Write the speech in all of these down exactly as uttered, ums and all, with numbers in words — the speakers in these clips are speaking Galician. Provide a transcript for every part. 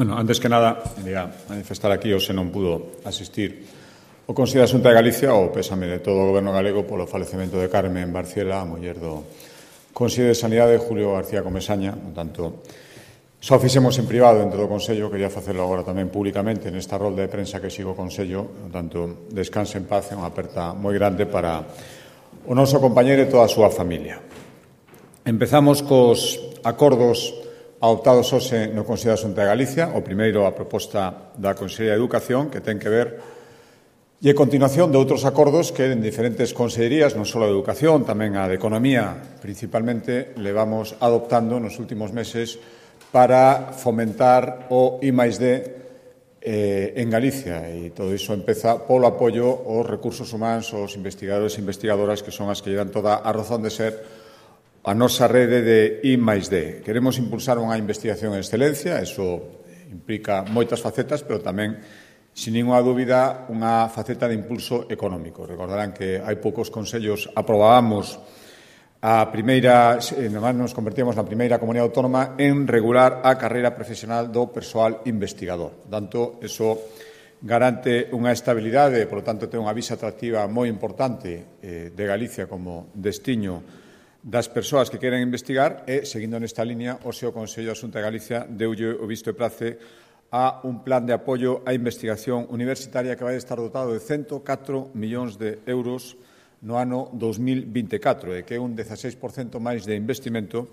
Bueno, antes que nada, quería manifestar aquí, o se non pudo asistir, o Consello da Xunta de Galicia, o pésame de todo o Goberno galego polo falecemento de Carmen Barciela, a muller do Consello de Sanidade, Julio García Comesaña. Por tanto, só fixemos en privado dentro do Consello, quería facelo agora tamén públicamente nesta rolda de prensa que sigo o Consello. Por tanto, descanse en paz, é unha aperta moi grande para o noso compañeiro e toda a súa familia. Empezamos cos acordos adoptados hoxe no Consello da Xunta de Galicia. O primeiro, a proposta da Consellería de Educación, que ten que ver e a continuación de outros acordos que en diferentes consellerías, non só a de Educación, tamén a de Economía, principalmente, levamos adoptando nos últimos meses para fomentar o I máis D eh, en Galicia. E todo iso empeza polo apoio aos recursos humanos, aos investigadores e investigadoras, que son as que lle dan toda a razón de ser a nosa rede de I máis D. Queremos impulsar unha investigación en excelencia, eso implica moitas facetas, pero tamén, sin ninguna dúbida, unha faceta de impulso económico. Recordarán que hai poucos consellos aprobábamos a primeira, además nos convertíamos na primeira comunidade autónoma en regular a carreira profesional do persoal investigador. Por tanto, eso garante unha estabilidade, por lo tanto, ten unha visa atractiva moi importante eh, de Galicia como destiño das persoas que queren investigar e, seguindo nesta línea, o seu Consello da Xunta de Galicia deulle o visto e prace a un plan de apoio á investigación universitaria que vai estar dotado de ciento catro millóns de euros no ano dos mil vinte e catro, e que é un dieciséis por cento máis de investimento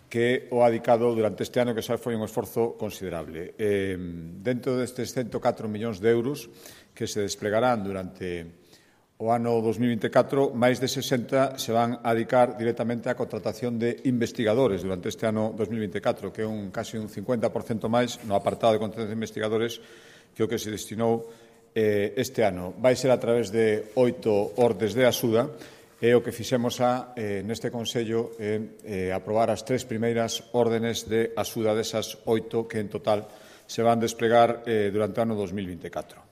que o adicado durante este ano, que xa foi un esforzo considerable. Eh, dentro destes ciento catro millóns de euros que se desplegarán durante o ano dos mil vinte e catro, máis de sesenta se van a dedicar directamente á contratación de investigadores durante este ano dos mil vinte e catro, que é un casi un cincuenta por cento máis no apartado de contratación de investigadores que o que se destinou eh, este ano. Vai ser a través de oito ordes de axuda, e o que fixemos a, eh, neste Consello é eh, aprobar as tres primeiras órdenes de axuda desas oito que en total se van desplegar eh, durante o ano dos mil vinte e catro.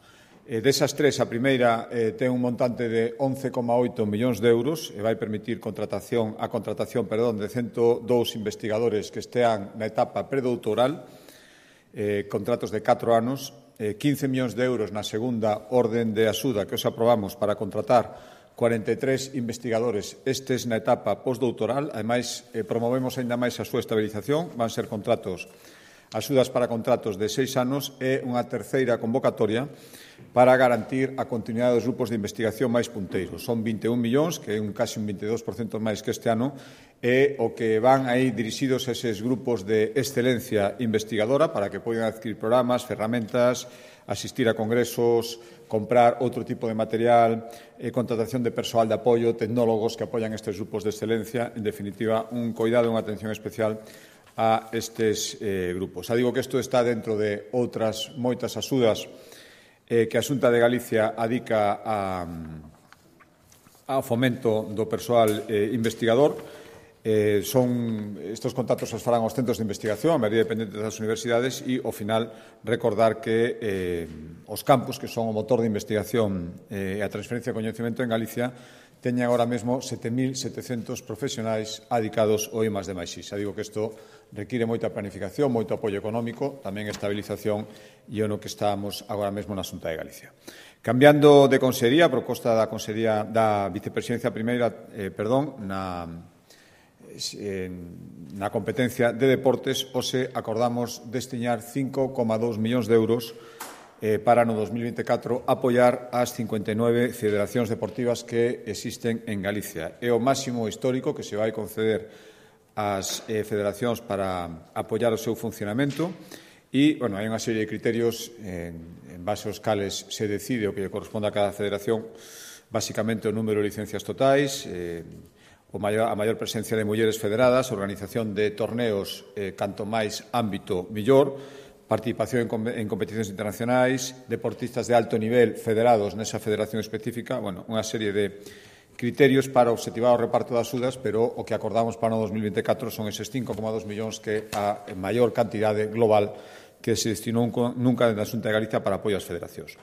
Eh, desas tres, a primeira eh, ten un montante de once coma oito millóns de euros e vai permitir contratación, a contratación perdón, de ciento dous investigadores que estean na etapa predoutoral, eh, contratos de catro anos, eh, quince millóns de euros na segunda orden de axuda que os aprobamos para contratar cuarenta e tres investigadores estes na etapa postdoutoral. Ademais, eh, promovemos aínda máis a súa estabilización, van ser contratos, axudas para contratos de seis anos e unha terceira convocatoria para garantir a continuidade dos grupos de investigación máis punteiros. Son vinte e un millóns, que é un casi un vinte e dous por cento máis que este ano, e o que van aí dirixidos a eses grupos de excelencia investigadora para que poidan adquirir programas, ferramentas, asistir a congresos, comprar outro tipo de material, eh, contratación de persoal de apoio, tecnólogos que apoian estes grupos de excelencia. En definitiva, un coidado e unha atención especial a estes eh, grupos. Xa digo que isto está dentro de outras moitas axudas eh, que a Xunta de Galicia adica a, ao fomento do persoal eh, investigador. Eh, son, estos contactos os farán os centros de investigación, a maioría dependentes das universidades, e, ao final, recordar que eh, os campus, que son o motor de investigación e eh, a transferencia de coñecemento en Galicia, teñen agora mesmo sete mil setecentos profesionais adicados ao I máis D máis I. Xa digo que isto require moita planificación, moito apoio económico, tamén estabilización, e é no que estamos agora mesmo na Xunta de Galicia. Cambiando de consellería, a proposta da consellería da vicepresidencia primeira, eh, perdón, na, eh, na competencia de deportes, hoxe acordamos destinar cinco coma dous millóns de euros Eh, para no dos mil vinte e catro apoiar as cincuenta e nove federacións deportivas que existen en Galicia. É o máximo histórico que se vai conceder ás eh, federacións para apoiar o seu funcionamento e, bueno, hai unha serie de criterios en, en base aos cales se decide o que corresponde a cada federación, basicamente o número de licencias totais, eh, o maior, a maior presencia de mulleres federadas, organización de torneos eh, canto máis ámbito millor, participación en competicións internacionais, deportistas de alto nivel federados nesa federación específica, bueno, unha serie de criterios para obxectivar o reparto das axudas, pero o que acordamos para o dos mil vinte e catro son eses cinco coma dous millóns que a maior cantidade global que se destinou nunca na Xunta de Galicia para apoio ás federacións.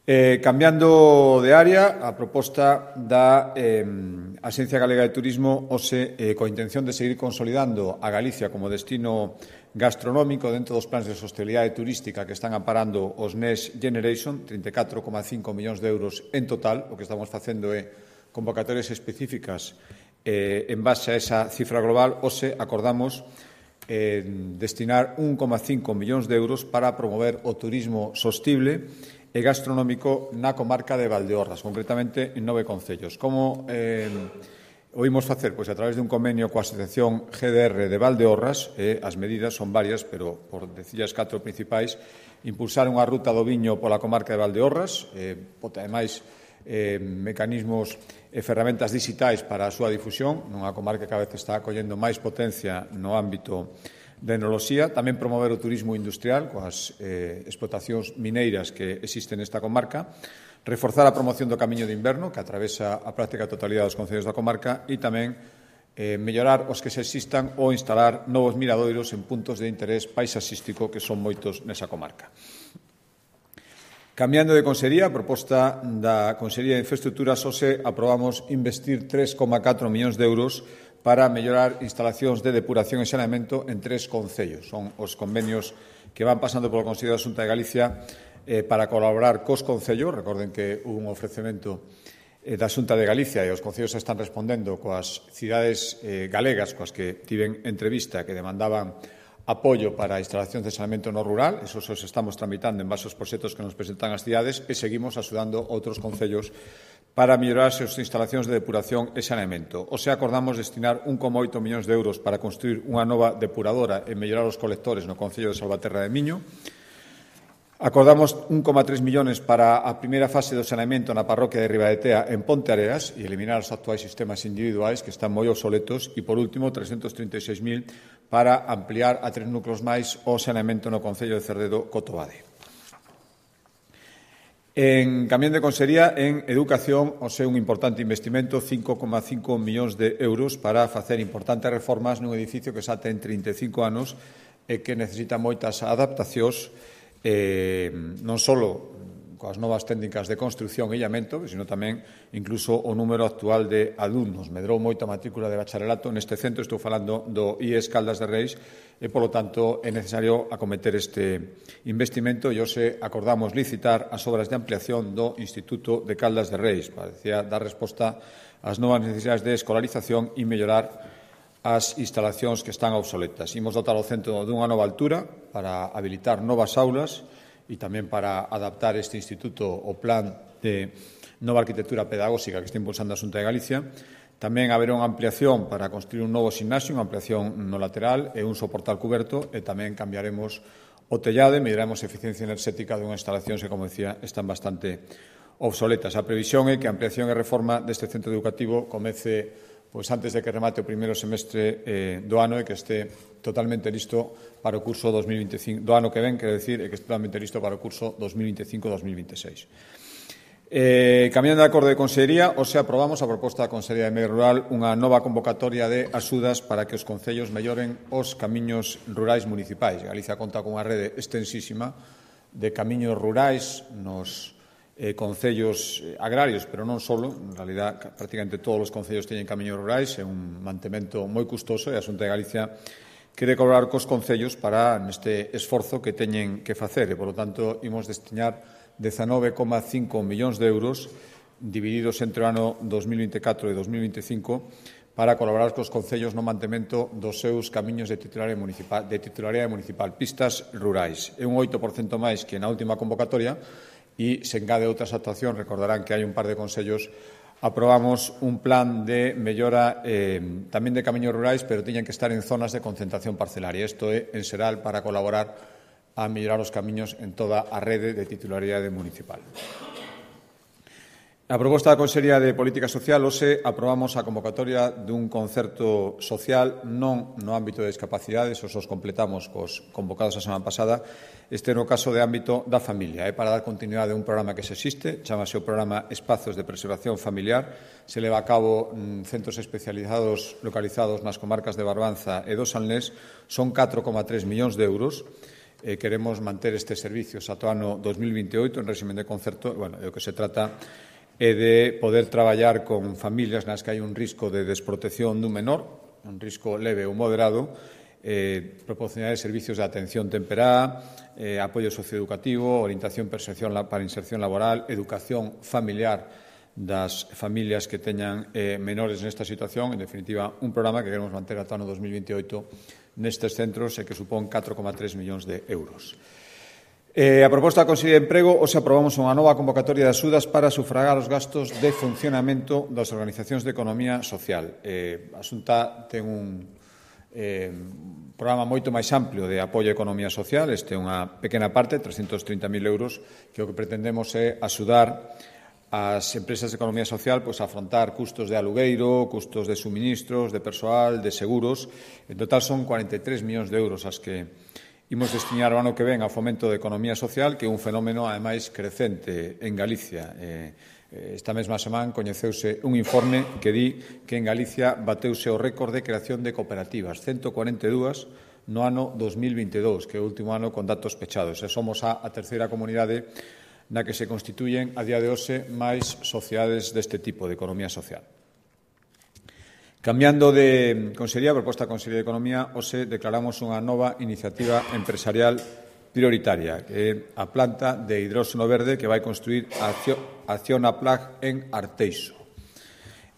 Eh, cambiando de área, a proposta da eh, Axencia Galega de Turismo, hoxe, eh, coa intención de seguir consolidando a Galicia como destino gastronómico dentro dos plans de sostenibilidade turística que están amparando os Next Generation, trinta e catro coma cinco millóns de euros en total. O que estamos facendo é convocatorias específicas eh, en base a esa cifra global. Hoxe acordamos eh, destinar un coma cinco millóns de euros para promover o turismo sostible e gastronómico na comarca de Valdeorras, concretamente en nove concellos. Como eh, o imos facer? Pois a través de un convenio coa Asociación G D R de Valdeorras, eh, as medidas son varias, pero por decir as catro principais, impulsar unha ruta do viño pola comarca de Valdeorras, eh, ademais eh, mecanismos e ferramentas digitais para a súa difusión, nunha comarca que cada vez está collendo máis potencia no ámbito de enoloxía, tamén promover o turismo industrial coas eh, explotacións mineiras que existen nesta comarca, reforzar a promoción do camiño de inverno que atravesa a práctica totalidade dos concellos da comarca e tamén eh, mellorar os que se existan ou instalar novos miradoiros en puntos de interés paisaxístico que son moitos nesa comarca. Cambiando de consellería, a proposta da Consellería de Infraestructuras, hoxe aprobamos investir tres coma catro millóns de euros para mellorar instalacións de depuración e saneamento en tres concellos. Son os convenios que van pasando polo Consello da Xunta de Galicia eh, para colaborar cos concellos. Recorden que hubo un ofrecemento eh, da Xunta de Galicia e os concellos están respondendo coas cidades eh, galegas coas que tiven entrevista que demandaban apoio para a instalación de saneamento no rural. Esos os estamos tramitando en base aos proxectos que nos presentan as cidades e seguimos axudando outros concellos para mellorar as súas instalacións de depuración e saneamento. O sea, acordamos destinar un coma oito millóns de euros para construir unha nova depuradora e mellorar os colectores no Concello de Salvaterra de Miño. Acordamos un coma tres millóns para a primeira fase do saneamento na parroquia de Ribadetea en Ponte Areas e eliminar os actuais sistemas individuais que están moi obsoletos. E, por último, trescentos trinta e seis mil para ampliar a tres núcleos máis o saneamento no Concello de Cerredo-Cotobade. En camión de consellería, en educación, o sea, un importante investimento, cinco coma cinco millóns de euros para facer importantes reformas nun edificio que xa ten trinta e cinco anos e que necesita moitas adaptacións, eh, non só coas novas técnicas de construción e illamento, sino tamén incluso o número actual de alumnos. Medrou moito a matrícula de bacharelato neste centro, estou falando do I E S Caldas de Reis, e, polo tanto, é necesario acometer este investimento e hoxe acordamos licitar as obras de ampliación do Instituto de Caldas de Reis, para decir, dar resposta ás novas necesidades de escolarización e mellorar as instalacións que están obsoletas. Imos dotar o centro dunha nova altura para habilitar novas aulas e tamén para adaptar este instituto ao plan de nova arquitectura pedagóxica que está impulsando a Xunta de Galicia. Tamén haberá unha ampliación para construir un novo gimnasio, unha ampliación no lateral e un soportal cuberto, e tamén cambiaremos o tellado e melloraremos a eficiencia enerxética dunhas instalacións que, como decía, están bastante obsoletas. A previsión é que a ampliación e reforma deste centro educativo comece pois antes de que remate o primeiro semestre eh, do ano e que este totalmente listo para o curso dos mil veinticinco, do ano que ven, quero decir, e que este totalmente listo para o curso dos mil veinticinco dos mil veintiséis. Eh, cambiando de acordo de consellería, hoxe aprobamos a proposta da Consellería de Medio Rural unha nova convocatoria de axudas para que os concellos melloren os camiños rurais municipais. Galicia conta con unha rede extensísima de camiños rurais nos Eh, concellos agrarios, pero non só, en realidad prácticamente todos os concellos teñen camiños rurais, é un mantemento moi custoso e a Xunta de Galicia quere colaborar cos concellos para neste esforzo que teñen que facer e, polo tanto, imos destinar dezanove coma cinco millóns de euros divididos entre o ano dos mil vinte e catro e dos mil veinticinco para colaborar cos concellos no mantemento dos seus camiños de titularidade municipal, de titularidade municipal, pistas rurais. É un oito por cento máis que na última convocatoria. E se engade outras actuacións. Recordarán que hai un par de consellos aprobamos un plan de mellora eh, tamén de camiños rurais, pero tiñan que estar en zonas de concentración parcelaria. Isto é en xeral para colaborar a mellorar os camiños en toda a rede de titularidade municipal. A proposta da Consellería de Política Social, hoxe aprobamos a convocatoria dun concerto social non no ámbito de discapacidades, os os completamos cos convocados a semana pasada, este no caso de ámbito da familia. É para dar continuidade a un programa que se existe, chamase o programa Espazos de Preservación Familiar, se leva a cabo en centros especializados localizados nas comarcas de Barbanza e do Salnés, son catro coma tres millóns de euros. Eh, queremos manter estes servicios ata o ano dos mil vinte e oito en régimen de concerto, e, bueno, o que se trata é de poder traballar con familias nas que hai un risco de desprotección dun menor, un risco leve ou moderado, eh, proporcionar servicios de atención temperá, eh, apoio socioeducativo, orientación para inserción laboral, educación familiar das familias que teñan eh, menores nesta situación. En definitiva, un programa que queremos manter ata o ano dos mil veintioito nestes centros e que supón catro coma tres millóns de euros. Eh, a proposta da Consellería de Emprego, hoxe aprobamos unha nova convocatoria de axudas para sufragar os gastos de funcionamento das organizacións de economía social. Eh, a Xunta ten un eh, programa moito máis amplio de apoio á economía social. Este é unha pequena parte, trescentos trinta mil euros, que o que pretendemos é axudar as empresas de economía social pois, a afrontar custos de alugueiro, custos de suministros, de persoal, de seguros. En total son cuarenta e tres millóns de euros as que imos destinar o ano que ven ao fomento da economía social, que é un fenómeno, ademais, crecente en Galicia. Esta mesma semana coñeceuse un informe que di que en Galicia bateuse o récord de creación de cooperativas, ciento cuarenta e dúas no ano dos mil vinte e dous, que é o último ano con datos pechados. E somos a, a terceira comunidade na que se constituyen a día de hoxe máis sociedades deste tipo de economía social. Cambiando de Consellería, a proposta da Consellería de Economía, hoxe declaramos unha nova iniciativa empresarial prioritaria, que é a planta de hidróxeno verde que vai construir a Acciona Plag en Arteixo.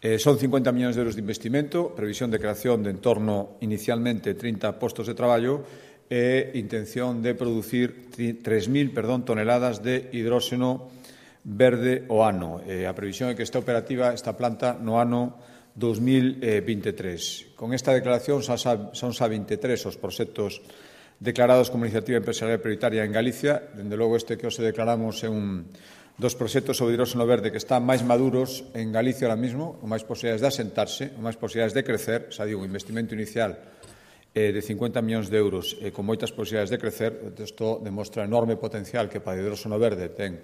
Eh, son cincuenta millóns de euros de investimento, previsión de creación de en torno inicialmente trinta postos de traballo e intención de producir tres mil toneladas de hidróxeno verde ao ano. Eh, a previsión é que esta operativa, esta planta, no ano dos mil veintitrés. Con esta declaración son xa vinte e tres os proxectos declarados como iniciativa empresarial prioritaria en Galicia. Dende logo, este que hoxe declaramos é un dos proxectos sobre hidróxeno verde que están máis maduros en Galicia ahora mismo, con máis posibilidades de asentarse, con máis posibilidades de crecer. Xa digo, un investimento inicial eh, de cincuenta millóns de euros eh, con moitas posibilidades de crecer. Isto demostra o enorme potencial que para o hidróxeno verde ten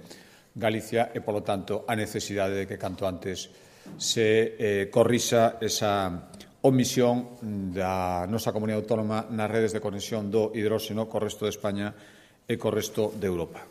Galicia e, polo tanto, a necesidade de que canto antes se eh, corrixa esa omisión da nosa comunidade autónoma nas redes de conexión do hidróxeno co resto de España e co resto de Europa.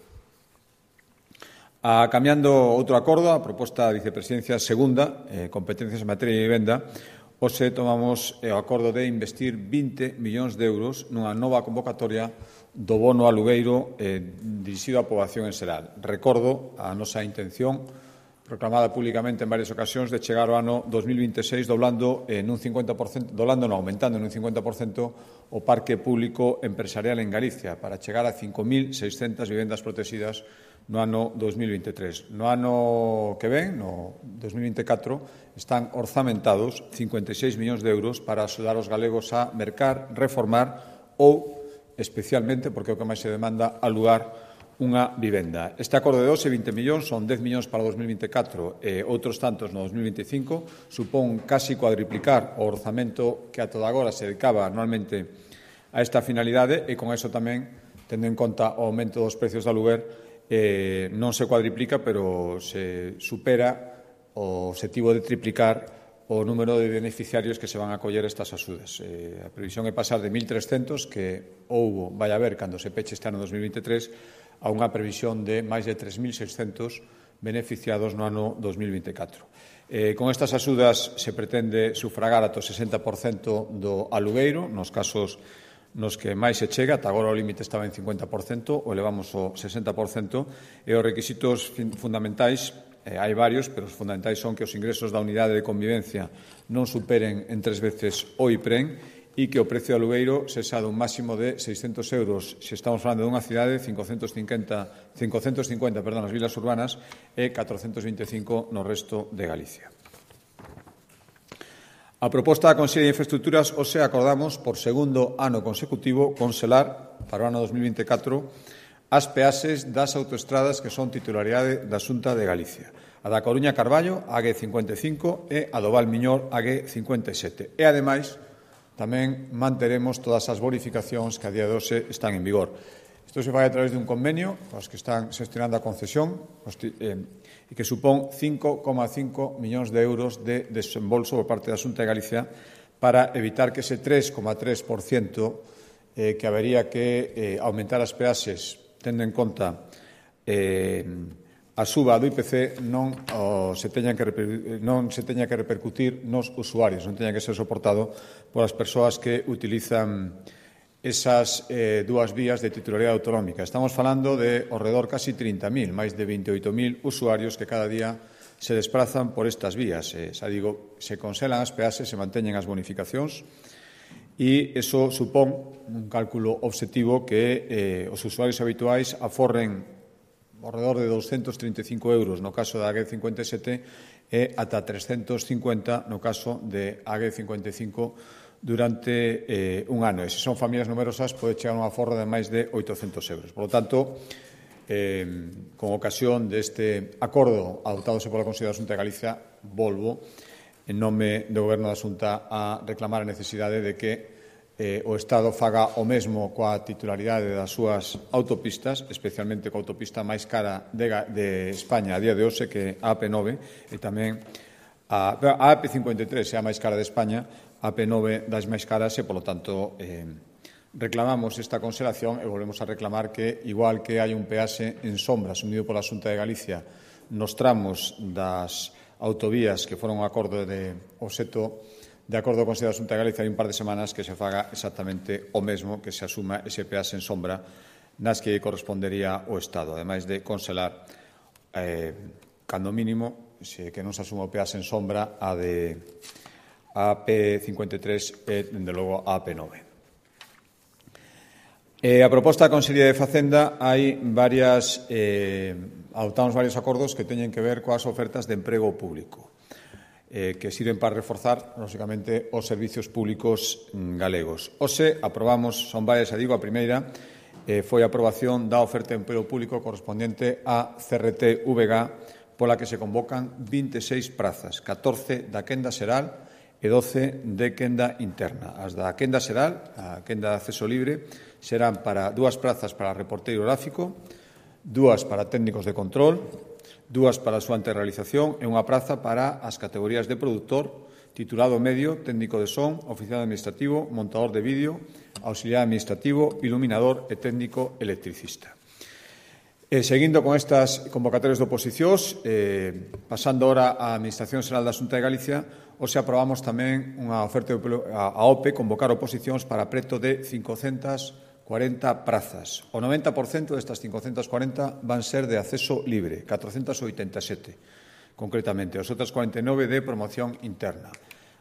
A, cambiando outro acordo, a proposta da Vicepresidencia segunda, eh, competencias en materia de vivenda, hoxe tomamos eh, o acordo de investir vinte millóns de euros nunha nova convocatoria do bono alugueiro eh, dirixido á poboación en xeral. Recordo a nosa intención proclamada públicamente en varias ocasións de chegar ao ano dos mil vinte e seis doblando en un cincuenta por cento, doblando non, aumentando en un cincuenta por cento o parque público empresarial en Galicia para chegar a cinco mil seiscentas vivendas protegidas no ano dos mil vinte e tres. No ano que ven, no dos mil vinte e catro, están orzamentados cincuenta e seis millóns de euros para axudar os galegos a mercar, reformar ou, especialmente, porque é o que máis se demanda, alugar unha vivenda. Este acordo de doce, vinte millóns, son dez millóns para o dos mil vinte e catro e outros tantos no dos mil vinte e cinco, supón casi cuadriplicar o orzamento que a toda agora se dedicaba anualmente a esta finalidade e con eso tamén, tendo en conta o aumento dos precios de aluguer, eh, non se cuadriplica, pero se supera o objetivo de triplicar o número de beneficiarios que se van a acoller estas axudas. Eh, a previsión é pasar de mil trescentos, que houbo, vai haber, cando se peche este ano dos mil vinte e tres, a unha previsión de máis de tres mil seiscentos beneficiados no ano dos mil vinte e catro. Eh, con estas axudas se pretende sufragar ata o sesenta por cento do alugueiro, nos casos nos que máis se chega, ata agora o límite estaba en cincuenta por cento, o elevamos ao sesenta por cento, e os requisitos fundamentais, eh, hai varios, pero os fundamentais son que os ingresos da unidade de convivencia non superen en tres veces o I P R E N e que o precio do alugueiro sexa dun máximo de seiscentos euros se estamos falando dunha cidade, cincocentos cincuenta, cincocentos cincuenta perdón, nas vilas urbanas e catrocentos vinte e cinco no resto de Galicia. A proposta da Consellería de Infraestructuras, hoxe acordamos por segundo ano consecutivo congelar para o ano dos mil vinte e catro as peaxes das autoestradas que son titularidade da Xunta de Galicia. A da Coruña Carballo, a G cincuenta e cinco, e a do Valmiñor, a G cincuenta e sete. E, ademais, tamén manteremos todas as bonificacións que a día de hoxe están en vigor. Isto se fai a través de un convenio os que están xestionando a concesión e que supón cinco coma cinco millóns de euros de desembolso por parte da Xunta de Galicia para evitar que ese tres coma tres por cento eh, que habería que eh, aumentar as peaxes tendo en conta eh, a suba do I P C non, o, se teña que, non se teña que repercutir nos usuarios, non teña que ser soportado polas persoas que utilizan esas eh, dúas vías de titularidade autonómica. Estamos falando de ao redor casi trinta mil, máis de veintioito mil usuarios que cada día se desplazan por estas vías. Eh, xa digo, se congelan as peaxes, se manteñen as bonificacións e iso supón un cálculo obxectivo que eh, os usuarios habituais aforren ao redor de doscentos trinta e cinco euros no caso da A G cincuenta e sete e ata trescentos cincuenta no caso de A G cincuenta e cinco durante eh, un ano. E se son familias numerosas, pode chegar a un aforro de máis de oitocentos euros. Por lo tanto, eh, con ocasión deste acordo adoptadose pola Consellería da Xunta de Galicia, volvo en nome do Goberno da Xunta a reclamar a necesidade de que Eh, o Estado faga o mesmo coa titularidade das súas autopistas, especialmente coa autopista máis cara de, de España a día de hoxe, que a A P nove, e tamén a, a A P cincuenta e tres é a máis cara de España, a A P nove das máis caras e, polo tanto, eh, reclamamos esta conxelación e volvemos a reclamar que, igual que hai un peaxe en sombra asumido pola Xunta de Galicia nos tramos das autovías que foron un acordo de obxecto de acordo con a Xunta de Galicia hai un par de semanas que se faga exactamente o mesmo, que se asuma ese peaxe en sombra nas que correspondería o Estado, ademais de congelar, eh, cando mínimo, se que non se asuma o peaxe en sombra a de a P cincuenta e tres e, dende logo, a A P nove. Eh, a proposta da Consellería de Facenda hai varias, eh, adoptamos varios acordos que teñen que ver coas ofertas de emprego público, Eh, que sirven para reforzar, lógicamente, os servicios públicos mm, galegos. Hoxe aprobamos, son varias, a digo, a primeira eh, foi a aprobación da oferta de emprego público correspondente a C R T V G, pola que se convocan vinte e seis prazas, catorce da quenda xeral e doce de quenda interna. As da quenda xeral, a quenda de acceso libre, serán para dúas prazas para reporteiro gráfico, dúas para técnicos de control, dúas para a súa anterrealización e unha praza para as categorías de produtor, titulado medio, técnico de son, oficial administrativo, montador de vídeo, auxiliar administrativo, iluminador e técnico electricista. E, seguindo con estas convocatorias de oposicións, eh, pasando ahora á Administración Xeral da Xunta de Galicia, hoxe aprobamos tamén unha oferta a O P E convocar oposicións para preto de cincocentas cuarenta prazas. O noventa por cento destas cincocentas cuarenta van ser de acceso libre, catrocentas oitenta e sete, concretamente. As outras cuarenta e nove de promoción interna.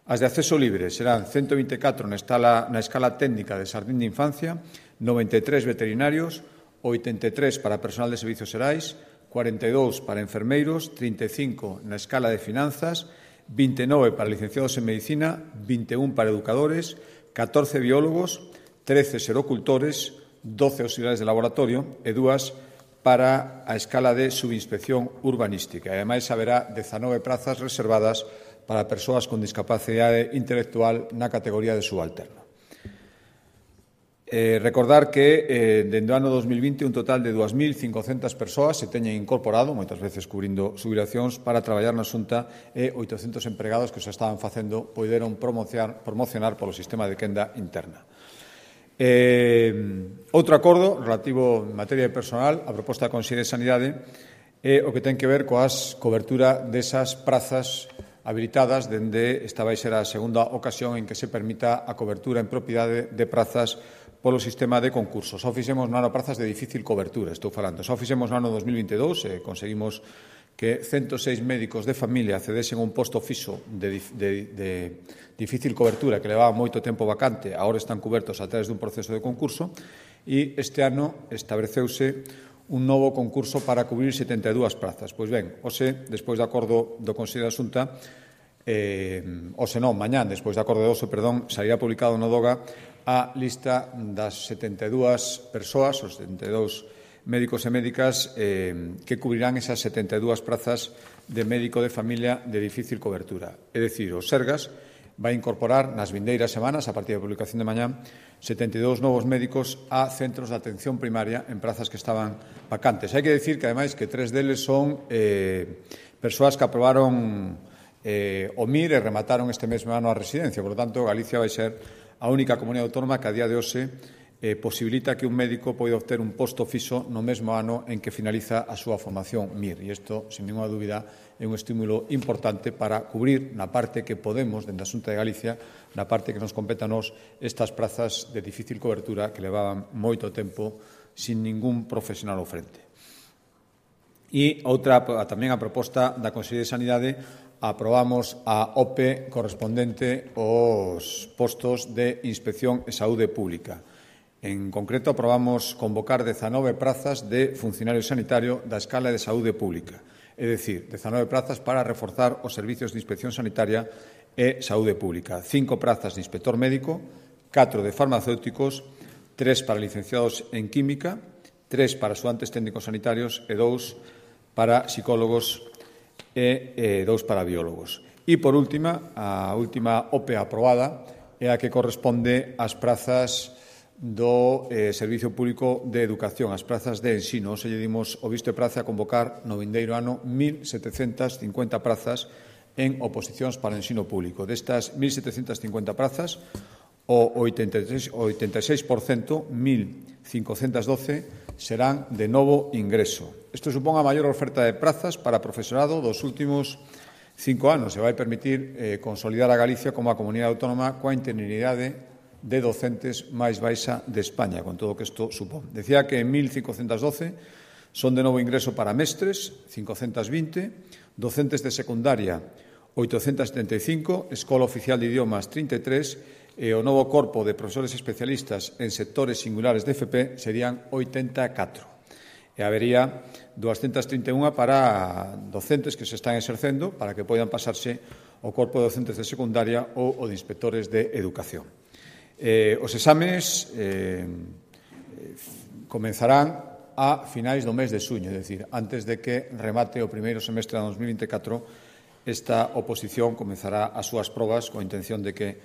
As de acceso libre serán ciento vinte e catro na escala, na escala técnica de xardín de infancia, noventa e tres veterinarios, oitenta e tres para personal de servicios xerais, cuarenta e dous para enfermeiros, trinta e cinco na escala de finanzas, vinte e nove para licenciados en medicina, vinte e un para educadores, catorce biólogos, trece serocultores, doce auxiliares de laboratorio e dúas para a escala de subinspección urbanística. E, ademais, haberá dezanove prazas reservadas para persoas con discapacidade intelectual na categoría de subalterno. Eh, recordar que, eh, dende o ano dos mil vinte, un total de dúas mil cincocentas persoas se teñen incorporado, moitas veces cubrindo xubilacións, para traballar na Xunta e oitocentos empregados que se estaban facendo poideron promocionar, promocionar polo sistema de quenda interna. Eh, outro acordo relativo en materia de personal, a proposta da Consellería de Sanidade, é o que ten que ver coas cobertura desas prazas habilitadas dende esta vai ser a segunda ocasión en que se permita a cobertura en propiedade de prazas polo sistema de concursos. Só fixemos no ano prazas de difícil cobertura, estou falando. Só fixemos no ano dos mil vinte e dous e conseguimos que ciento seis médicos de familia accedesen a un posto fixo de, de, de difícil cobertura que levaba moito tempo vacante, agora están cubertos a través dun proceso de concurso e este ano estableceuse un novo concurso para cubrir setenta e dúas prazas. Pois ben, hoxe, despois do acordo do Consello da Xunta, eh, hoxe non, mañán, despois do acordo de hoxe, perdón, sairá publicado no DOGA a lista das setenta e dúas persoas, os setenta e dous médicos e médicas eh, que cubrirán esas setenta e dúas prazas de médico de familia de difícil cobertura. É dicir, o Sergas vai incorporar nas vindeiras semanas, a partir da publicación de mañá, setenta e dous novos médicos a centros de atención primaria en prazas que estaban vacantes. Hai que dicir que, ademais, que tres deles son eh, persoas que aprobaron eh, o M I R e remataron este mesmo ano a residencia. Por lo tanto, Galicia vai ser a única comunidade autónoma que a día de hoxe eh, posibilita que un médico poida obter un posto fixo no mesmo ano en que finaliza a súa formación M I R. E isto, sin ninguna dúbida, é un estímulo importante para cubrir na parte que podemos, dende a Xunta de Galicia, na parte que nos compete a nos, estas prazas de difícil cobertura que levaban moito tempo sin ningún profesional ao frente. E outra, tamén a proposta da Consellería de Sanidade, aprobamos a O P E correspondente aos postos de Inspección e Saúde Pública. En concreto, aprobamos convocar dezanove prazas de funcionario sanitario da escala de saúde pública, é dicir, dezanove prazas para reforzar os servizos de inspección sanitaria e saúde pública, cinco prazas de inspector médico, catro de farmacéuticos, tres para licenciados en química, tres para axudantes técnicos sanitarios e dous para psicólogos e eh, dous para biólogos. E, por última, a última O P E aprobada é a que corresponde ás prazas do eh, Servicio Público de Educación, as prazas de ensino. Se lle dimos o visto de praza a convocar no vindeiro ano mil setecentas cincuenta prazas en oposicións para o ensino público. Destas mil setecentas cincuenta prazas, o oitenta e seis por cento, mil cincocentas doce, serán de novo ingreso. Isto supón a maior oferta de prazas para profesorado dos últimos cinco anos e vai permitir eh, consolidar a Galicia como a comunidade autónoma coa interinidade de docentes máis baixa de España, con todo o que isto supón. Decía que en mil cincocentas doce son de novo ingreso para mestres, cincocentas vinte, docentes de secundaria, oitocentas setenta e cinco, Escola Oficial de Idiomas, trinta e tres, e o novo corpo de profesores especialistas en sectores singulares de F P serían oitenta e catro. E habería doscientas trinta e unha para docentes que se están exercendo para que poidan pasarse ao corpo de docentes de secundaria ou o de inspectores de educación. Eh, os exames eh, comenzarán a finais do mes de xuño, é dicir, antes de que remate o primeiro semestre de dos mil vinte e catro, esta oposición comenzará as súas probas coa intención de que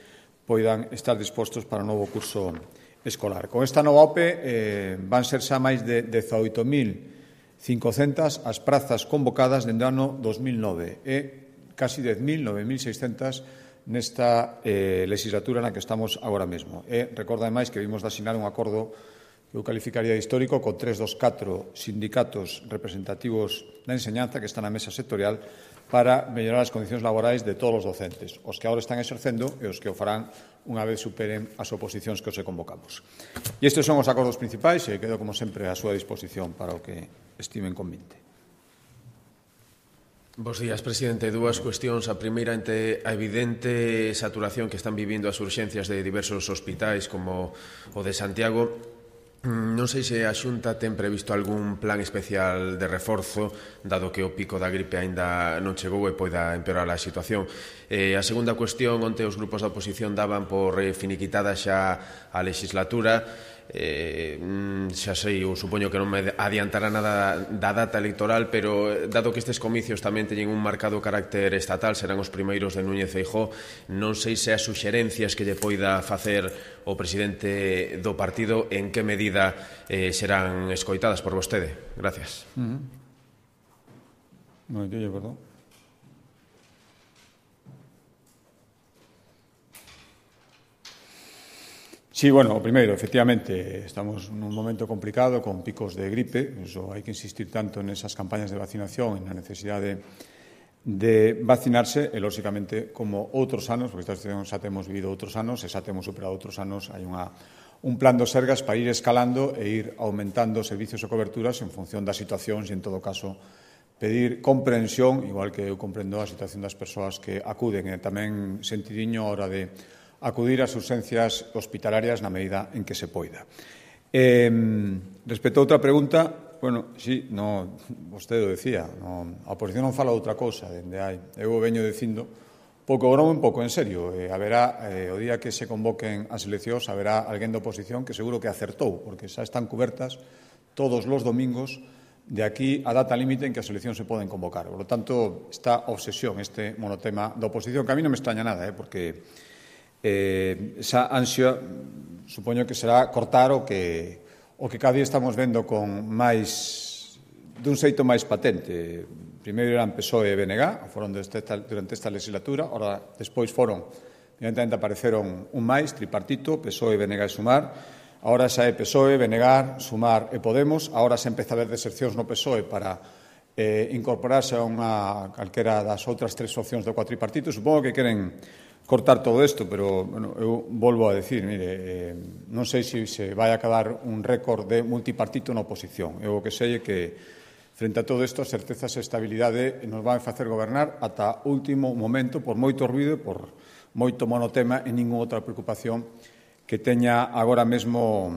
poidan estar dispostos para o novo curso escolar. Con esta nova O P E eh, van ser xa máis de dezaoito mil cincocentas as prazas convocadas dende o ano dos mil nove e casi dez mil, nove mil seiscentas nesta eh, legislatura na que estamos agora mesmo. E recordo, ademais, que vimos de asinar un acordo que eu calificaría de histórico con tres dos catro sindicatos representativos da enseñanza que están na mesa sectorial para mellorar as condicións laborais de todos os docentes, os que agora están exercendo e os que o farán unha vez superen as oposicións que os convocamos. E estes son os acordos principais e quedo, como sempre, a súa disposición para o que estimen convinte. Bos días, presidente. Dúas cuestións. A primeira, ante a evidente saturación que están vivindo as urxencias de diversos hospitais como o de Santiago, non sei se a Xunta ten previsto algún plan especial de reforzo, dado que o pico da gripe aínda non chegou e poida empeorar a situación. E a segunda cuestión, onte os grupos da oposición daban por finiquitada xa a legislatura. Eh, xa sei, eu supoño que non me adiantará nada da data electoral, pero dado que estes comicios tamén teñen un marcado carácter estatal, serán os primeiros de Núñez Feijóo, non sei se as suxerencias que lle poida facer o presidente do partido en que medida eh, serán escoitadas por vostede. Gracias. Uh-huh. No, yo, perdón. Sí, bueno, o primeiro, efectivamente, estamos nun momento complicado con picos de gripe, eso hai que insistir tanto nesas campañas de vacinación e na necesidade de vacinarse e, lóxicamente, como outros anos, porque esta situación xa temos vivido outros anos e xa temos superado outros anos, hai unha, un plan do Sergas para ir escalando e ir aumentando servicios e coberturas en función das situacións e, en todo caso, pedir comprensión, igual que eu comprendo a situación das persoas que acuden e tamén sentidiño a hora de acudir ás urxencias hospitalarias na medida en que se poida. Eh, respecto a outra pregunta, bueno, sí, no, vostede o decía, no, a oposición non fala outra cousa, dende hai, eu veño dicindo, pouco broma, un pouco en serio, eh, haberá, eh, o día que se convoquen as eleccións, haberá alguén da oposición que seguro que acertou, porque xa están cubertas todos os domingos de aquí a data límite en que as eleccións se poden convocar. Por lo tanto, esta obsesión, este monotema da oposición, que a mí non me extraña nada, eh, porque Eh, esa ansia supoño que será cortar o que o que cada día estamos vendo con máis dun xeito máis patente. Primeiro eran P S O E e B N G, foron esta, durante esta legislatura, ora despois foron, evidentemente apareceron un máis, tripartito, P S O E, B N G e Sumar, Ahora xa é P S O E, Benegar, Sumar e Podemos. Ahora xa empeza a haber desercións no P S O E para eh, incorporarse a unha calquera das outras tres opcións do cuatripartito. Supongo que queren cortar todo isto, pero bueno, eu volvo a decir, mire, eh, non sei se se vai a acabar un récord de multipartito na oposición. Eu o que sei é que, frente a todo isto, as certezas e estabilidade nos van a facer gobernar ata o último momento, por moito ruido, por moito monotema e ninguna outra preocupación que teña agora mesmo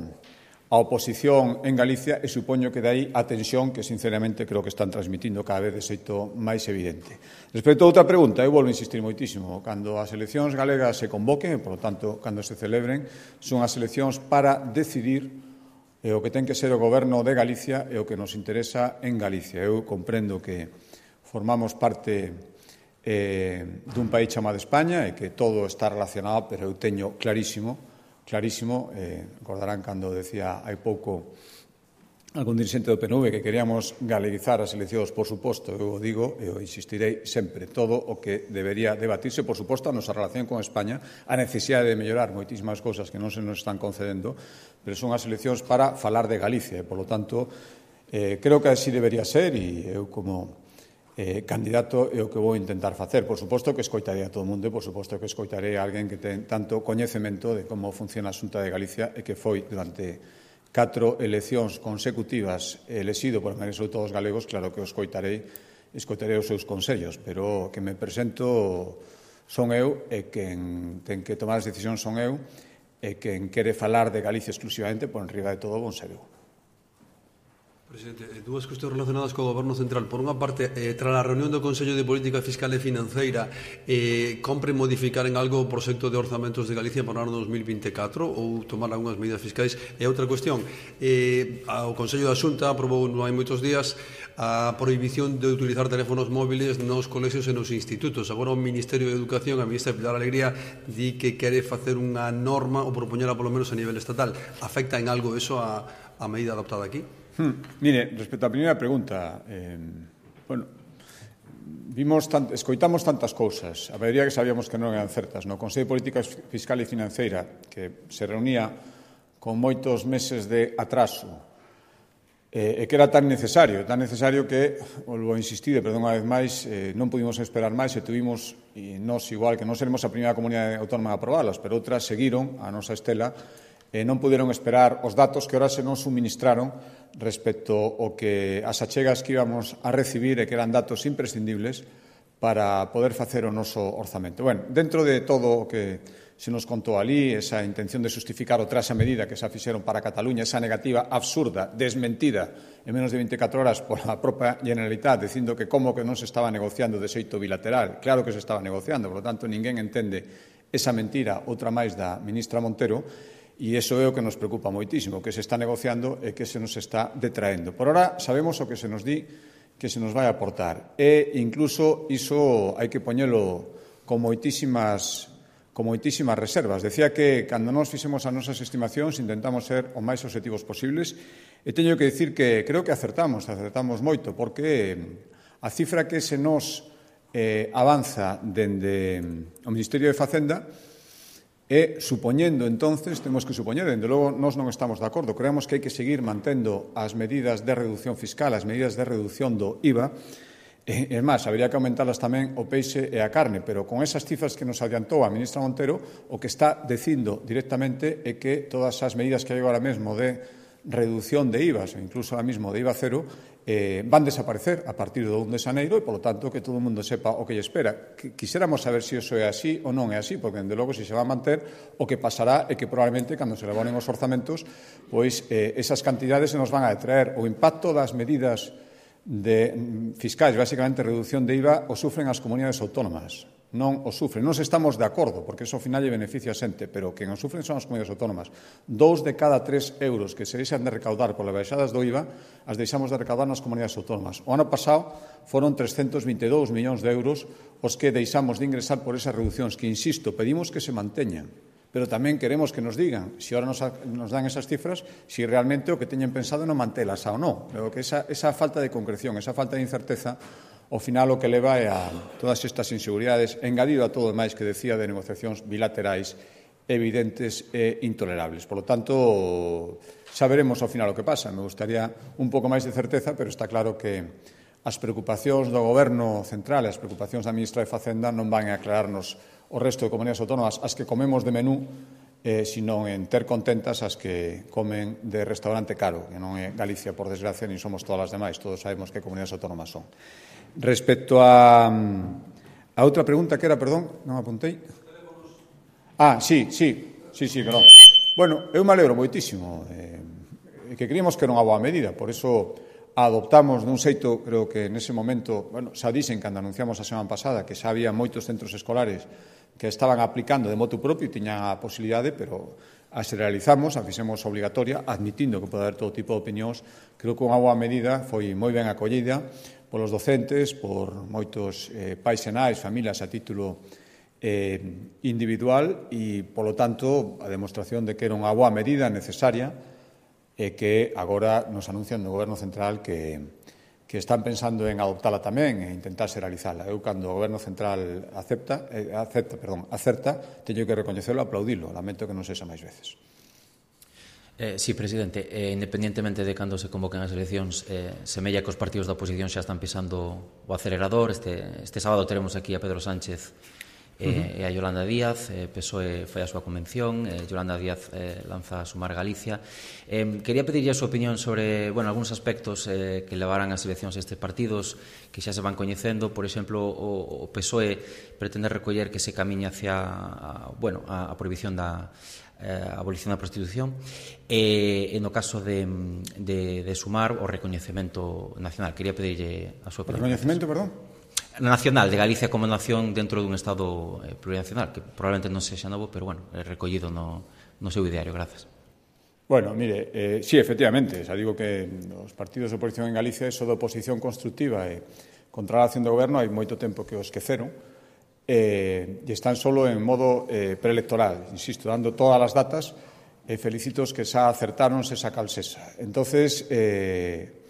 a oposición en Galicia, e supoño que dai a tensión que, sinceramente, creo que están transmitindo cada vez de xeito máis evidente. Respecto a outra pregunta, eu volvo a insistir moitísimo. Cando as eleccións galegas se convoquen, e, por lo tanto, cando se celebren, son as eleccións para decidir e o que ten que ser o goberno de Galicia e o que nos interesa en Galicia. Eu comprendo que formamos parte eh, dun país chamado España e que todo está relacionado, pero eu teño clarísimo clarísimo, eh, recordarán cando decía hai pouco algún dirixente do P N V que queríamos galeguizar as eleccións, por suposto, eu o digo e o insistirei sempre, todo o que debería debatirse, por suposto, a nosa relación con España, a necesidade de mellorar moitísimas cousas que non se nos están concedendo, pero son as eleccións para falar de Galicia, e, por lo tanto, eh, creo que así debería ser, e eu como Eh, candidato é o que vou intentar facer. Por suposto que escoitarei a todo o mundo e por suposto que escoitarei a alguén que ten tanto coñecemento de como funciona a Xunta de Galicia e que foi durante catro eleccións consecutivas elexido por maioría sobre todos os galegos. Claro que o escoitarei, escoitarei os seus consellos, pero que me presento son eu e quen ten que tomar as decisións son eu e quen quere falar de Galicia exclusivamente por enriba de todo bon ser eu. Presidente, dúas cuestións relacionadas co Goberno Central. Por unha parte, eh, tras a reunión do Consello de Política Fiscal e Financeira, eh, compre modificar en algo o proxecto de orzamentos de Galicia para o ano dos mil vinte e catro ou tomar algunhas medidas fiscais? E outra cuestión, eh, o Consello da Xunta aprobou non hai moitos días a prohibición de utilizar teléfonos móviles nos colexios e nos institutos. Agora o Ministerio de Educación, a ministra Pilar Alegría, di que quere facer unha norma ou propoñela polo menos a nivel estatal. Afecta en algo eso a, a medida adoptada aquí? Hmm, mire, respecto á primeira pregunta, eh, bueno, vimos tant, escoitamos tantas cousas, a maioría que sabíamos que non eran certas. No Consello de Política Fiscal e Financeira, que se reunía con moitos meses de atraso, eh, e que era tan necesario, tan necesario que, volvo a insistir, perdón unha vez máis, eh, non pudimos esperar máis e tuvimos, e nós igual, que non seremos a primeira comunidade autónoma a aprobalas, pero outras seguiron a nosa estela, e non puderon esperar os datos que ora se nos suministraron respecto ao que as achegas que íbamos a recibir e que eran datos imprescindibles para poder facer o noso orzamento. Bueno, dentro de todo o que se nos contou ali, esa intención de justificar o tras a medida que se fixeron para Cataluña, esa negativa absurda, desmentida en menos de veinticuatro horas por a propia Generalitat, dicindo que como que non se estaba negociando de xeito bilateral. Claro que se estaba negociando, por lo tanto, ninguén entende esa mentira, outra máis da ministra Montero. E iso é o que nos preocupa moitísimo, que se está negociando e que se nos está detraendo. Por ora sabemos o que se nos di que se nos vai aportar e incluso iso hai que poñelo con moitísimas, con moitísimas reservas. Decía que cando nos fixemos as nosas estimacións intentamos ser o máis objetivos posibles e teño que dicir que creo que acertamos, acertamos moito, porque a cifra que se nos eh, avanza dende o Ministerio de Facenda e, supoñendo, entonces, temos que supoñer, dende logo, nós non estamos de acordo. Creemos que hai que seguir mantendo as medidas de reducción fiscal, as medidas de reducción do I V A. E, é máis, habería que aumentarlas tamén o peixe e a carne, pero con esas cifras que nos adiantou a ministra Montero, o que está dicindo directamente é que todas as medidas que hai agora mesmo de reducción de I V As, ou incluso ahora mismo de I V A cero, eh, van desaparecer a partir do un de xaneiro e, polo tanto, que todo o mundo sepa o que lle espera. Quixéramos saber se iso é así ou non é así, porque, dende logo, se se va a manter, o que pasará é que, probablemente, cando se elaboren os orzamentos, pois eh, esas cantidades se nos van a detraer. O impacto das medidas de fiscais, basicamente reducción de I V A, o sufren as comunidades autónomas. Non o sufren. Non estamos de acordo, porque eso ao final lle beneficia a xente, pero quen o sufren son as comunidades autónomas. Dous de cada tres euros que se deixan de recaudar polas baixadas do I V A as deixamos de recaudar nas comunidades autónomas. O ano pasado foron trescentos vinte e dous millóns de euros os que deixamos de ingresar por esas reduccións, que, insisto, pedimos que se manteñan, pero tamén queremos que nos digan, se ahora nos, nos dan esas cifras, se realmente o que teñen pensado non mantelas ou non. Pero que esa, esa falta de concreción, esa falta de incerteza, ao final o que leva é a todas estas inseguridades, engadido a todo o máis que decía de negociacións bilaterais evidentes e intolerables. Por lo tanto, xa veremos ao final o que pasa. Me gustaría un pouco máis de certeza, pero está claro que as preocupacións do Goberno central e as preocupacións da ministra de Facenda non van a aclararnos o resto de comunidades autónomas as que comemos de menú, eh, sino en ter contentas as que comen de restaurante caro, que non é Galicia, por desgracia, ni somos todas as demais. Todos sabemos que comunidades autónomas son. Respecto a, a outra pregunta que era, perdón, non apuntei. Ah, sí, sí, sí, sí, perdón. Bueno, eu me alegro moitísimo, eh, que creíamos que era unha boa medida, por iso adoptamos dun xeito, creo que nese momento, bueno, xa dixen cando anunciamos a semana pasada que xa había moitos centros escolares que estaban aplicando de motu propio e tiñan a posibilidade, pero a se realizamos, a fixemos obligatoria, admitindo que pode haber todo tipo de opinións. Creo que unha boa medida foi moi ben acollida polos docentes, por moitos eh, pais e nais, familias a título eh, individual e, polo tanto, a demostración de que era unha boa medida necesaria e que agora nos anuncian do Goberno Central que que están pensando en adoptala tamén e intentarse realizala. Eu, cando o Goberno Central acepta, eh, acepta, perdón, acerta, teño que recoñecelo e aplaudilo. Lamento que non sexa máis veces. Eh, sí, presidente, eh, independentemente de cando se convoquen as eleccións, eh, semella que os partidos da oposición xa están pisando o acelerador. Este, este sábado teremos aquí a Pedro Sánchez e, uh-huh. e a Yolanda Díaz. eh, P S O E foi a súa convención, eh, Yolanda Díaz eh, lanza a Sumar Galicia. eh, Quería pedirlle a súa opinión sobre, bueno, algúns aspectos eh, que levarán as eleccións estes partidos que xa se van coñecendo. Por exemplo, o, o P S O E pretende recoller que se camiña hacia a, bueno, a, a prohibición da a abolición da prostitución e, e no caso de, de, de Sumar o recoñecemento nacional. Quería pedirlle a súa opinión. O recoñecemento, perdón? Nacional, de Galicia como nación dentro dun Estado eh, plurinacional, que probablemente non sexa novo, pero, bueno, é recollido no, no seu ideario. Grazas. Bueno, mire, eh, sí, efectivamente, xa digo que os partidos de oposición en Galicia, eso de oposición constructiva e contra a acción do goberno, hai moito tempo que o esqueceron, eh, e están solo en modo eh, preelectoral, insisto, dando todas as datas, e eh, felicitos que xa acertaron se saca sesa. Entonces, eh,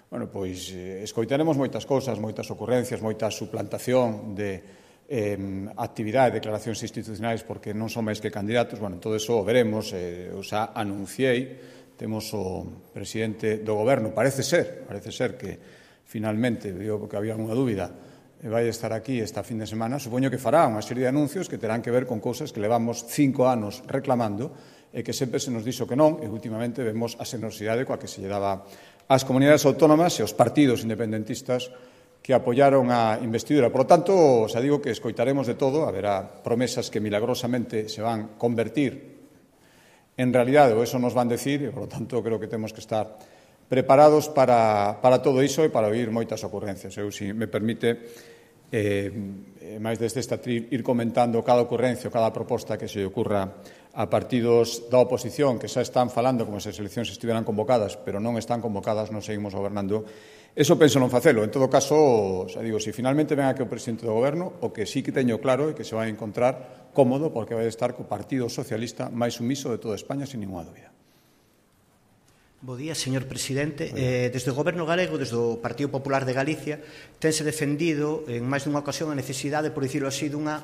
bueno, pois eh, escoitaremos moitas cousas, moitas ocurrencias, moita suplantación de eh, actividade, declaracións institucionais porque non son máis que candidatos. Bueno, todo eso o veremos. Eh, eu xa anunciei, temos o presidente do goberno, parece ser, parece ser que finalmente, digo porque había unha dúbida, e vai estar aquí esta fin de semana, supoño que fará unha serie de anuncios que terán que ver con cousas que levamos cinco anos reclamando e que sempre se nos dixo que non, e últimamente vemos a xenerosidade coa que se lle daba ás comunidades autónomas e aos partidos independentistas que apoiaron a investidura. Por lo tanto, xa digo que escoitaremos de todo, haberá promesas que milagrosamente se van convertir en realidade, ou eso nos van decir, e, por lo tanto, creo que temos que estar preparados para, para todo iso e para oír moitas ocurrencias. Eu, se me permite, eh, máis desde esta tri, ir comentando cada ocurrencia ou cada proposta que se ocurra a partidos da oposición que xa están falando como se as eleccións estiveran convocadas, pero non están convocadas, non seguimos gobernando. Eso penso non facelo. En todo caso, xa digo, se finalmente ven aquí o presidente do goberno, o que sí que teño claro é que se vai encontrar cómodo porque vai estar co Partido Socialista máis sumiso de toda España, sin ninguna dúbida. Bo día, señor presidente. Eh, desde o Goberno galego, desde o Partido Popular de Galicia, tense defendido en máis dunha ocasión a necesidade, por dicirlo así, dunha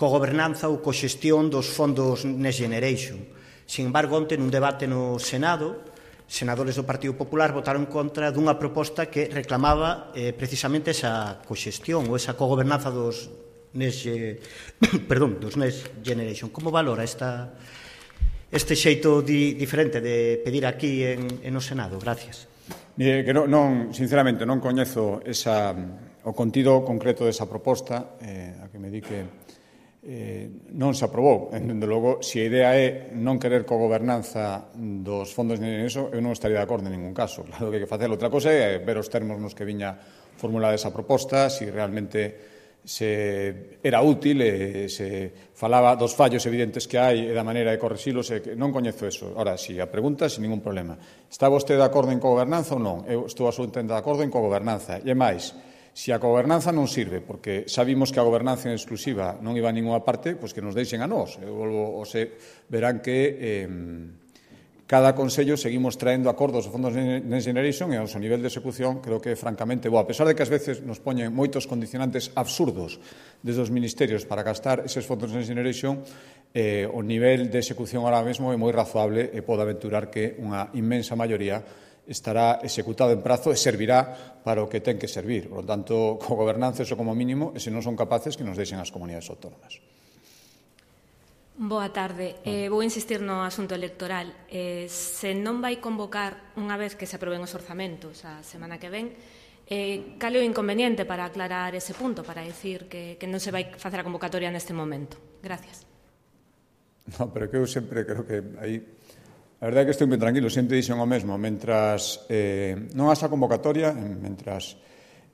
cogobernanza ou coxestión dos fondos Next Generation. Sin embargo, onte nun debate no Senado, senadores do Partido Popular votaron contra dunha proposta que reclamaba eh, precisamente esa coxestión ou esa cogobernanza dos Next, eh, perdón, dos Next Generation. Como valora esta, este xeito di, diferente de pedir aquí en, en o Senado? Gracias. Mire, que non, non, sinceramente non coñezo esa, o contido concreto desa proposta, eh, a que me di que Eh, non se aprobou. Dende logo, se a idea é non querer cogobernanza dos fondos de eso, eu non estaría de acordo en ningún caso. Claro que hai que facer outra cosa é ver os termos nos que viña formulada esa proposta, se realmente se era útil e se falaba dos fallos evidentes que hai e da maneira de correxilos, e que non coñezo eso. Ora, si a pregunta, sin ningún problema. Está vostede de acordo en cogobernanza ou non? Eu estou absolutamente de acordo en cogobernanza. E máis, se a gobernanza non sirve, porque xa vimos que a gobernanza en exclusiva non iba a ninguna parte, pois que nos deixen a nós. Eu volvo, o se verán que eh, cada Consello seguimos traendo acordos do Fondos Next Generation e ao seu nivel de execución creo que é francamente bo. A pesar de que ás veces nos poñen moitos condicionantes absurdos desde os ministerios para gastar eses fondos Next Generation, eh, o nivel de execución ahora mesmo é moi razoable e pode aventurar que unha inmensa maioría estará executado en prazo e servirá para o que ten que servir. Por lo tanto, co gobernanza, eso como mínimo, e se non son capaces, que nos deixen as comunidades autónomas. Boa tarde. Eh, vou insistir no asunto electoral. Eh, se non vai convocar unha vez que se aproben os orzamentos a semana que ven, eh, cal é o inconveniente para aclarar ese punto, para decir que, que non se vai facer a convocatoria neste momento? Gracias. No, pero que eu sempre creo que aí... A verdade é que estou ben tranquilo, sempre dixen o mesmo. Mentras eh, non haxa convocatoria, mentras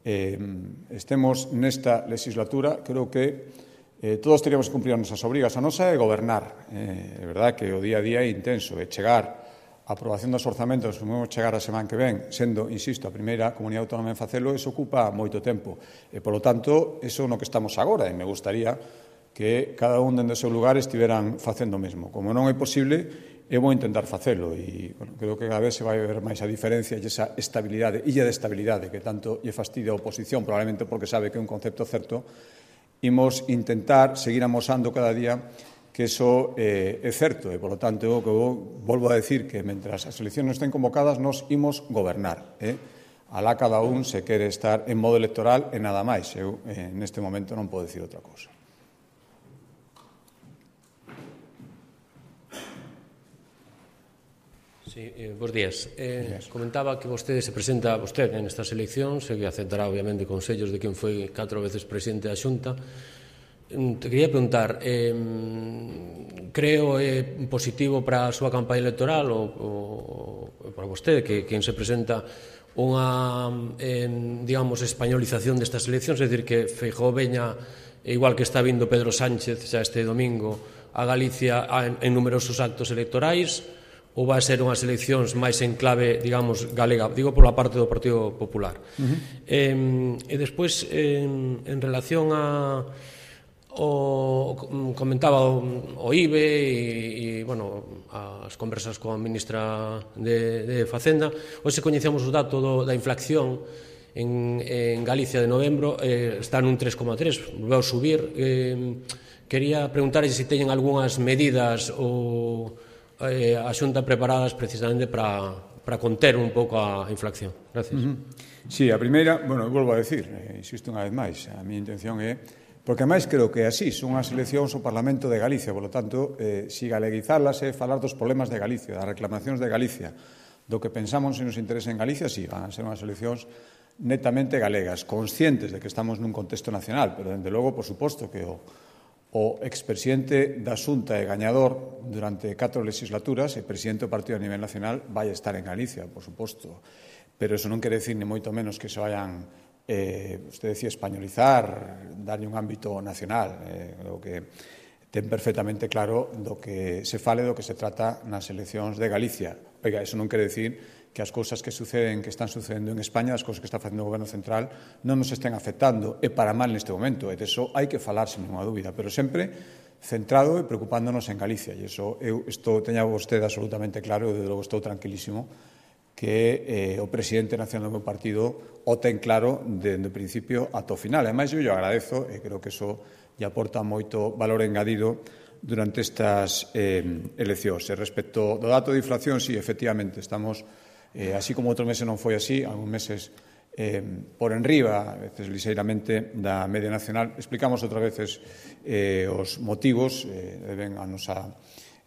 eh, estemos nesta legislatura, creo que eh, todos teríamos que cumprir as nosas obrigas. A nosa é gobernar. Eh, é verdade que o día a día é intenso, é chegar a aprobación dos orzamentos, como chegar a semana que ven, sendo, insisto, a primeira comunidade autónoma en facelo, eso ocupa moito tempo. E, polo tanto, eso no que estamos agora, e me gustaría que cada un dende o seu lugar estiveran facendo o mesmo. Como non é posible, eu vou intentar facelo e bueno, creo que cada vez se vai ver máis a diferencia e esa estabilidade, illa de estabilidade que tanto lle fastidia a oposición, probablemente porque sabe que é un concepto certo, imos intentar seguir amosando cada día que eso eh, é certo e, polo tanto, eu, que eu volvo a decir que mentras as eleccións non estén convocadas nos imos gobernar. Eh? Alá cada un se quere estar en modo electoral e nada máis. Eu eh, neste momento non podo decir outra cousa. Sí, eh, bos días. Eh, comentaba que vostede se presenta vostede nestas eleccións e que aceptará, obviamente, consellos de quen foi catro veces presidente da Xunta. Te quería preguntar, eh, creo é eh, positivo para a súa campaña electoral ou, ou para vostede, que quen se presenta unha, eh, digamos, españolización destas eleccións, é dicir, que Feijóo veña, igual que está vindo Pedro Sánchez xa este domingo, a Galicia en, en numerosos actos electorais, ou vai ser unhas eleccións máis en clave, digamos, galega, digo pola parte do Partido Popular. Uh-huh. eh, e despois, en, en relación a o comentaba o, o I B E e, e, bueno, as conversas coa ministra de, de Facenda, hoxe coñecemos o dato do, da inflación en, en Galicia de novembro, eh, está nun tres coma tres, volveu a subir. Eh, quería preguntar se teñen algunhas medidas ou eh, a Xunta preparadas precisamente para, para conter un pouco a inflación. Gracias. Uh-huh. Sí, a primeira, bueno, volvo a decir, eh, insisto unha vez máis, a miña intención é, porque máis creo que así son as eleccións ao Parlamento de Galicia, por lo tanto, eh, si galeguizarlas é falar dos problemas de Galicia, das reclamacións de Galicia, do que pensamos se nos interesa en Galicia, sí, van a ser unhas eleccións netamente galegas, conscientes de que estamos nun contexto nacional, pero, dende logo, por suposto, que o O expresidente da Xunta e gañador durante catro legislaturas e presidente do partido a nivel nacional vai estar en Galicia, por suposto. Pero eso non quere decir ni moito menos que se vayan, eh, usted decía, españolizar, darlle un ámbito nacional. Eh, creo que ten perfectamente claro do que se fale, do que se trata nas eleccións de Galicia. Oiga, eso non quere decir que as cousas que suceden, que están sucedendo en España, as cousas que está facendo o Goberno Central, non nos estén afectando, e para mal neste momento, e de eso hai que falar sin ninguna dúbida, pero sempre centrado e preocupándonos en Galicia, e iso eu estou, teña vostede absolutamente claro, e de logo estou tranquilísimo, que eh, o presidente nacional do meu partido o ten claro dende o principio ata o final. Ademais, eu lle agradezo, e creo que iso lle aporta moito valor engadido durante estas eh, eleccións. E respecto do dato de inflación, sí, efectivamente, estamos... Eh, así como outros meses non foi así, algúns meses eh, por enriba, a veces liseiramente, da media nacional. Explicamos outras veces eh, os motivos, eh, deben a nosa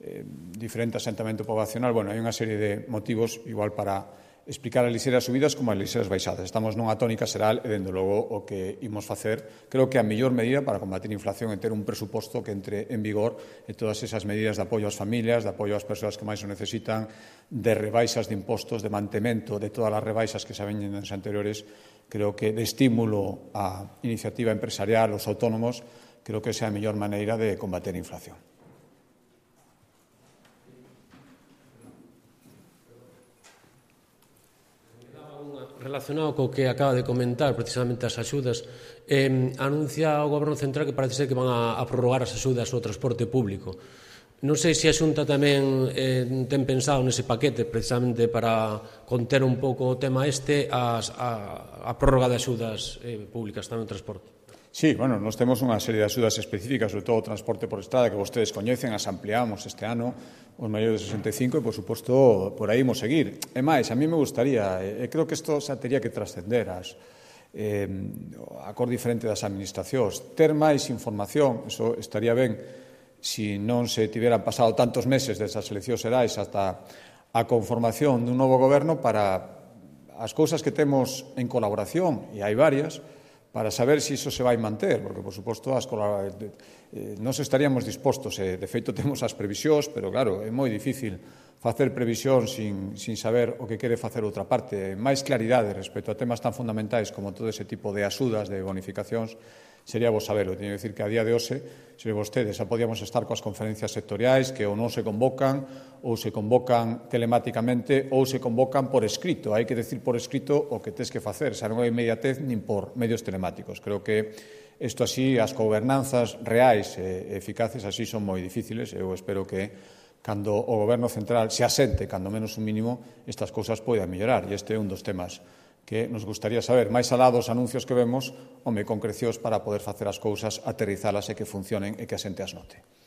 eh, diferente asentamento poblacional. Bueno, hai unha serie de motivos, igual para explicar as lixeiras subidas como as lixeiras baixadas. Estamos nunha tónica xeral e, dende logo, o que imos facer, creo que a mellor medida para combater a inflación é ter un presuposto que entre en vigor e todas esas medidas de apoio ás familias, de apoio ás persoas que máis o necesitan, de rebaixas de impostos, de mantemento de todas as rebaixas que se veñen nos anteriores, creo que de estímulo á iniciativa empresarial, aos autónomos, creo que esa é a mellor maneira de combater a inflación. Relacionado co que acaba de comentar, precisamente as axudas, eh, anuncia o Goberno Central que parece ser que van a, a prorrogar as axudas ao transporte público. Non sei se a Xunta tamén eh, ten pensado nese paquete, precisamente para conter un pouco o tema este, as, a, a prórroga de axudas eh, públicas tamén no transporte. Sí, bueno, nós temos unha serie de axudas específicas, sobre todo o transporte por estrada, que vostedes coñecen, as ampliamos este ano, os maiores de sesenta e cinco, e, por suposto, por aí imos seguir. E máis, a mí me gustaría, e creo que isto xa teria que trascender as, eh, a cor diferente das administracións, ter máis información, eso estaría ben, si non se tiveran pasado tantos meses desde as eleccións xerais ata a conformación dun novo goberno para as cousas que temos en colaboración, e hai varias, para saber se iso se vai manter, porque, por suposto, as eh, nós estaríamos dispostos, e, de feito, temos as previsións, pero, claro, é moi difícil facer previsión sin, sin saber o que quere facer outra parte. Máis claridade respecto a temas tan fundamentais como todo ese tipo de axudas, de bonificacións, sería vos saberlo. Teño que decir que a día de hoxe, se vostedes, xa podíamos estar coas conferencias sectoriais que ou non se convocan, ou se convocan telemáticamente, ou se convocan por escrito. Hai que decir por escrito o que tes que facer, xa non hai inmediatez nin por medios telemáticos. Creo que isto así, as gobernanzas reais e eficaces así son moi difíciles. Eu espero que cando o Goberno Central se asente, cando menos un mínimo, estas cousas poidan mellorar. E este é un dos temas que nos gustaría saber, máis alá dos anuncios que vemos, home, concrecións para poder facer as cousas, aterrizalas e que funcionen e que a xente as note.